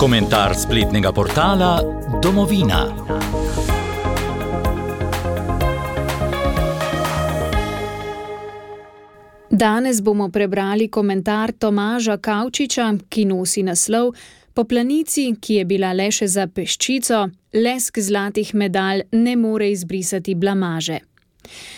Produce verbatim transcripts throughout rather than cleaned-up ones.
Komentar spletnega portala Domovina. Danes bomo prebrali komentar Tomaža Kavčiča, ki nosi naslov Po planici, ki je bila le še za peščico, lesk zlatih medalj ne more izbrisati blamaže.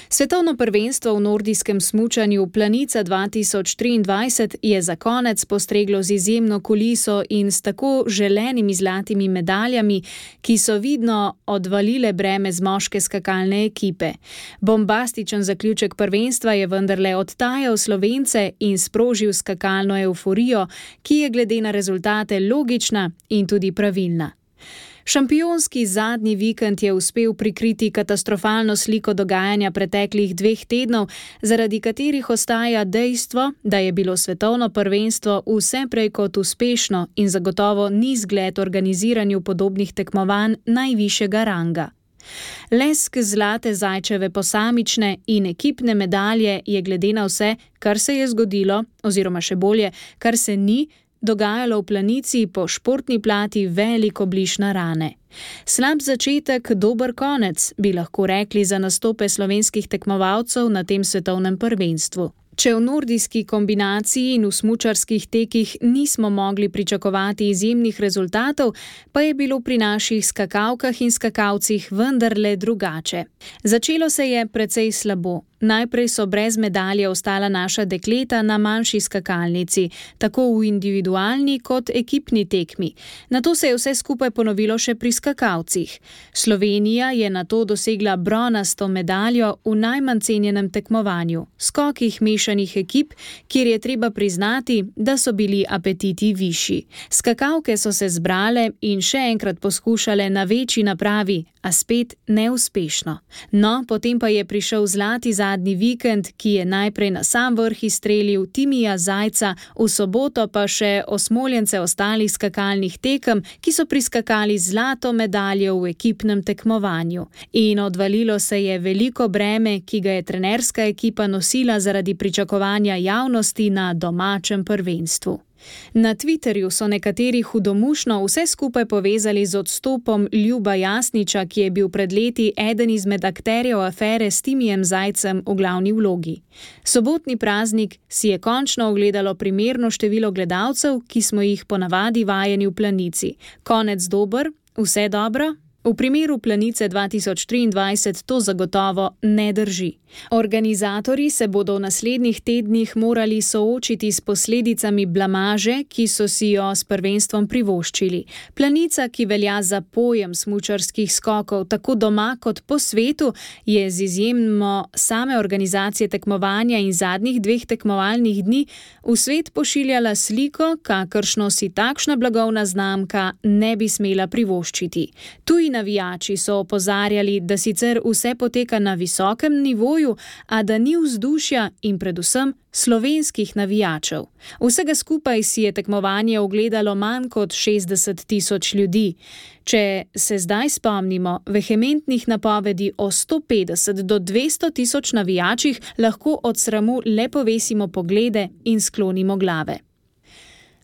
Svetovno prvenstvo v nordijskem smučanju Planica dva tisoč triindvajset je za konec postreglo z izjemno kuliso in s tako želenimi zlatimi medaljami, ki so vidno odvalile breme z moške skakalne ekipe. Bombastičen zaključek prvenstva je vendarle odtajal Slovence in sprožil skakalno evforijo, ki je glede na rezultate logična in tudi pravilna. Šampionski zadnji vikend je uspel prikriti katastrofalno sliko dogajanja preteklih dveh tednov, zaradi katerih ostaja dejstvo, da je bilo svetovno prvenstvo vse prej kot uspešno in zagotovo ni zgled organiziranju podobnih tekmovanj najvišjega ranga. Lesk zlate zajčeve posamične in ekipne medalje je glede na vse, kar se je zgodilo, oziroma še bolje, kar se ni, dogajalo v Planici po športni plati veliko bliž na rane. Slab začetek, dober konec, bi lahko rekli za nastope slovenskih tekmovalcev na tem svetovnem prvenstvu. Če v nordijski kombinaciji in v smučarskih tekih nismo mogli pričakovati izjemnih rezultatov, pa je bilo pri naših skakalkah in skakalcih vendarle drugače. Začelo se je precej slabo. Najprej so brez medalje ostala naša dekleta na manjši skakalnici, tako v individualni kot ekipni tekmi. Nato se je vse skupaj ponovilo še pri skakalcih. Slovenija je nato dosegla bronasto medaljo v najmanj cenjenem tekmovanju, skokih mešanih ekip, kjer je treba priznati, da so bili apetiti višji. Skakalke so se zbrale in še enkrat poskušale na večji napravi, a spet neuspešno. No, potem pa je prišel zlati zadnji vikend, ki je najprej na sam vrh izstrelil Timija Zajca, v soboto pa še osmoljence ostalih skakalnih tekem, ki so priskakali zlato medaljo v ekipnem tekmovanju. In odvalilo se je veliko breme, ki ga je trenerska ekipa nosila zaradi pričakovanja javnosti na domačem prvenstvu. Na Twitterju so nekateri hudomušno vse skupaj povezali z odstopom Ljuba Jasniča, ki je bil pred leti eden izmed akterjev afere s Timijem Zajcem v glavni vlogi. Sobotni praznik si je končno ogledalo primerno število gledalcev, ki smo jih ponavadi vajeni v Planici. Konec dober, vse dobro? V primeru Planice dva tisoč triindvajset to zagotovo ne drži. Organizatorji se bodo v naslednjih tednih morali soočiti s posledicami blamaže, ki so si jo s prvenstvom privoščili. Planica, ki velja za pojem smučarskih skokov tako doma kot po svetu, je z izjemno same organizacije tekmovanja in zadnjih dveh tekmovalnih dni v svet pošiljala sliko, kakršno si takšna blagovna znamka ne bi smela privoščiti. Tuji navijači so opozarjali, da sicer vse poteka na visokem nivoju, a da ni vzdušja in predvsem slovenskih navijačev. Vsega skupaj si je tekmovanje ogledalo manj kot šestdeset tisoč ljudi. Če se zdaj spomnimo vehementnih napovedi o sto petdeset do dvesto tisoč navijačih, lahko od sramu le povesimo poglede in sklonimo glave.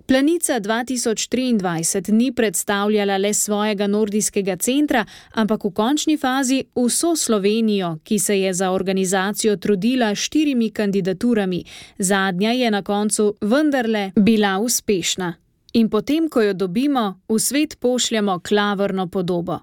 Planica dva tisoč triindvajset ni predstavljala le svojega nordijskega centra, ampak v končni fazi vso Slovenijo, ki se je za organizacijo trudila štirimi kandidaturami. Zadnja je na koncu vendarle bila uspešna. In potem, ko jo dobimo, v svet pošljamo klavrno podobo.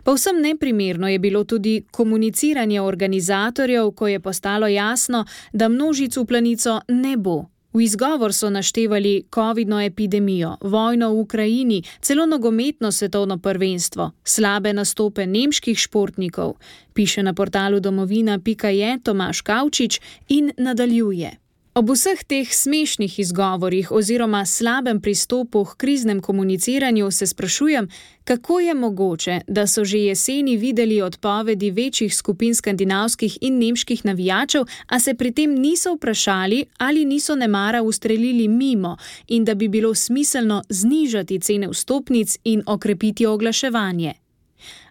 Povsem neprimerno je bilo tudi komuniciranje organizatorjev, ko je postalo jasno, da množic v Planico ne bo. V izgovor so naštevali covidno epidemijo, vojno v Ukrajini, celo nogometno svetovno prvenstvo, slabe nastope nemških športnikov, piše na portalu domovina pika je Tomaž Kavčič in nadaljuje. Ob vseh teh smešnih izgovorih oziroma slabem pristopu k kriznem komuniciranju se sprašujem, kako je mogoče, da so že jeseni videli odpovedi večjih skupin skandinavskih in nemških navijačev, a se pri tem niso vprašali ali niso nemara ustrelili mimo in da bi bilo smiselno znižati cene vstopnic in okrepiti oglaševanje.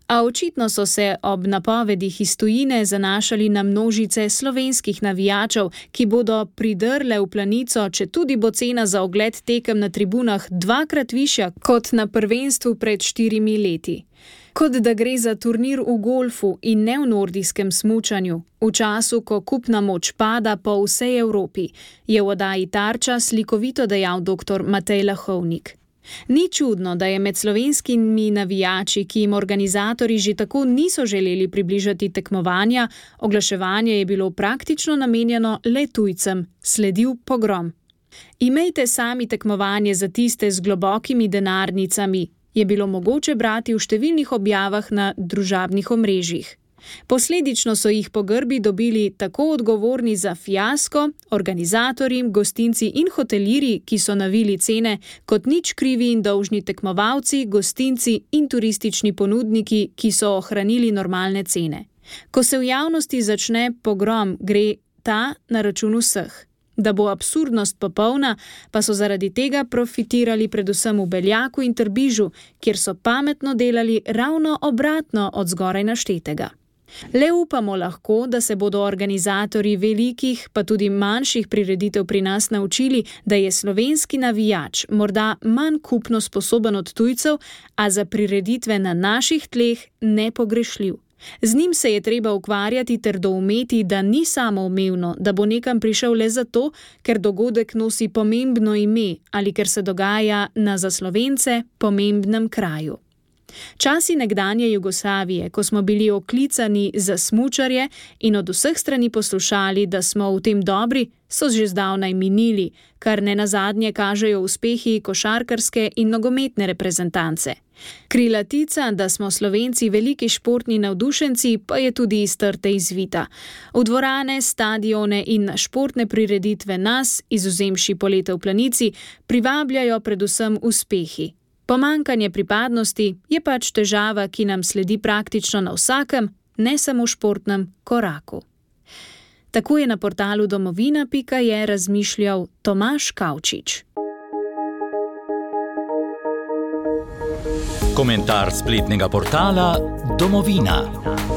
A očitno so se ob napovedih iz tujine zanašali na množice slovenskih navijačev, ki bodo pridrle v Planico, če tudi bo cena za ogled tekem na tribunah dvakrat višja kot na prvenstvu pred štirimi leti. Kot da gre za turnir v golfu in ne v nordijskem smučanju, v času, ko kupna moč pada po vsej Evropi, je v oddaji Tarča slikovito dejal doktor Matej Lahovnik. Ni čudno, da je med slovenskimi navijači, ki jim organizatorji že tako niso želeli približati tekmovanja, oglaševanje je bilo praktično namenjeno le tujcem, sledil pogrom. Imejte sami tekmovanje za tiste z globokimi denarnicami, je bilo mogoče brati v številnih objavah na družabnih omrežjih. Posledično so jih po grbi dobili tako odgovorni za fiasko, organizatorji, gostinci in hotelirji, ki so navili cene, kot nič krivi in dolžni tekmovalci, gostinci in turistični ponudniki, ki so ohranili normalne cene. Ko se v javnosti začne pogrom, gre ta na račun vseh. Da bo absurdnost popolna, pa so zaradi tega profitirali predvsem v Beljaku in Trbižu, kjer so pametno delali ravno obratno od zgoraj naštetega. Le upamo lahko, da se bodo organizatorji velikih, pa tudi manjših prireditev pri nas naučili, da je slovenski navijač morda manj kupno sposoben od tujcev, a za prireditve na naših tleh nepogrešljiv. Z njim se je treba ukvarjati ter doumeti, da ni samoumevno, da bo nekam prišel le zato, ker dogodek nosi pomembno ime ali ker se dogaja na za Slovence pomembnem kraju. Časi nekdanje Jugoslavije, ko smo bili oklicani za smučarje in od vseh strani poslušali, da smo v tem dobri, so že zdavnaj minili, kar nenazadnje kažejo uspehi košarkarske in nogometne reprezentance. Krilatica, da smo Slovenci veliki športni navdušenci, pa je tudi iz trte izvita. V dvorane, stadione in na športne prireditve nas, izvzemši polete v Planici, privabljajo predvsem uspehi. Pomanjkanje pripadnosti je pač težava, ki nam sledi praktično na vsakem, ne samo športnem koraku. Tako je na portalu domovina pika je razmišljal Tomaž Kavčič. Komentar spletnega portala Domovina.